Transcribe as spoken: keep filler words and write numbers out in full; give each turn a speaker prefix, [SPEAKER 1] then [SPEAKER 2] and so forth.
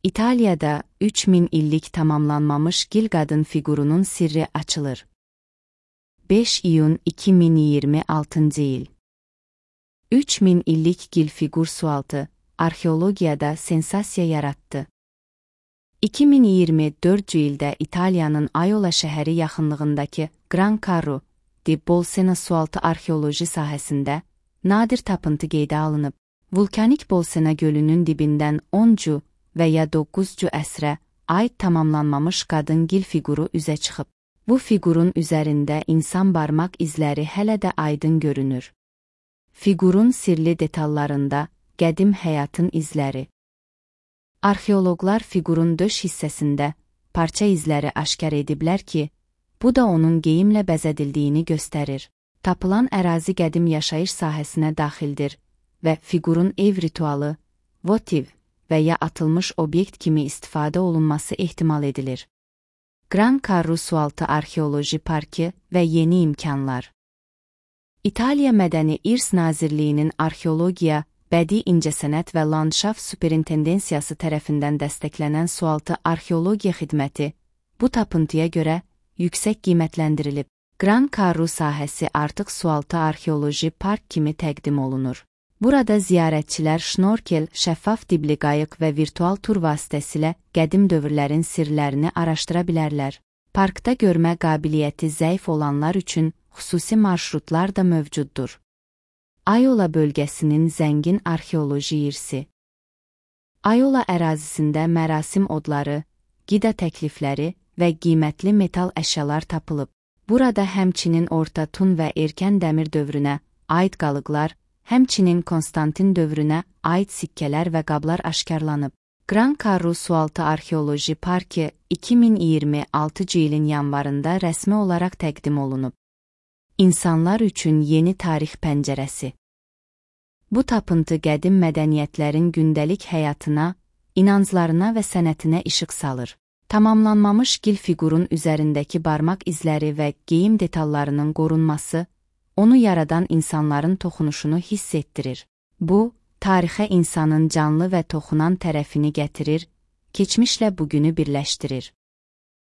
[SPEAKER 1] İtalya'da üç min illik tamamlanmamış gil qadın figurunun sirri açılır. beş iyun iki min iyirmi altıncı il. üç min illik gil figur sualtı, arxeologiyada sensasiya yarattı. iki min iyirmi dördüncü ildə İtaliyanın Aiola şəhəri yaxınlığındakı Gran Carro di Bolsena sualtı arxeoloji sahəsində nadir tapıntı qeydə alınıb. Vulkanik Bolsena gölünün dibindən onuncu və ya doqquzuncu əsrə aid tamamlanmamış qadın gil figuru üzə çıxıb. Bu figurun üzərində insan barmaq izləri hələ də aydın görünür. Figurun sirli detallarında qədim həyatın izləri. Arxeoloqlar figurun döş hissəsində parça izləri aşkar ediblər ki, bu da onun geyimlə bəzədildiyini göstərir. Tapılan ərazi qədim yaşayış sahəsinə daxildir və figurun ev ritualı, votiv və ya atılmış obyekt kimi istifadə olunması ehtimal edilir. Gran Carro Sualtı Arxeoloji Parkı və yeni imkanlar. İtaliya Mədəni İrs Nazirliyinin Arxeologiya, Bədii İncəsənət və Landşaft Superintendensiyası tərəfindən dəstəklənən sualtı arxeologiya xidməti bu tapıntıya görə yüksək qiymətləndirilib. Gran Carro sahəsi artıq sualtı arxeoloji park kimi təqdim olunur. Burada ziyarətçilər şnorkel, şəffaf dibli qayıq və virtual tur vasitəsilə qədim dövrlərin sirlərini araşdıra bilərlər. Parkda görmə qabiliyyəti zəif olanlar üçün xüsusi marşrutlar da mövcuddur. Aiola bölgəsinin zəngin arxeoloji irsi. Aiola ərazisində mərasim odları, qida təklifləri və qiymətli metal əşyalar tapılıb. Burada həmçinin Orta Tun və Erkən Dəmir dövrünə aid qalıqlar, həmçinin Konstantin dövrünə aid sikkələr və qablar aşkarlanıb. Gran Carro Sualtı Arxeoloji Parkı iki min iyirmi altıncı ilin yanvarında rəsmi olaraq təqdim olunub. İnsanlar üçün yeni tarix pəncərəsi. Bu tapıntı qədim mədəniyyətlərin gündəlik həyatına, inanclarına və sənətinə işıq salır. Tamamlanmamış gil figurun üzərindəki barmaq izləri və geyim detallarının qorunması, onu yaradan insanların toxunuşunu hiss etdirir. Bu, tarixə insanın canlı və toxunan tərəfini gətirir, keçmişlə bugünü birləşdirir.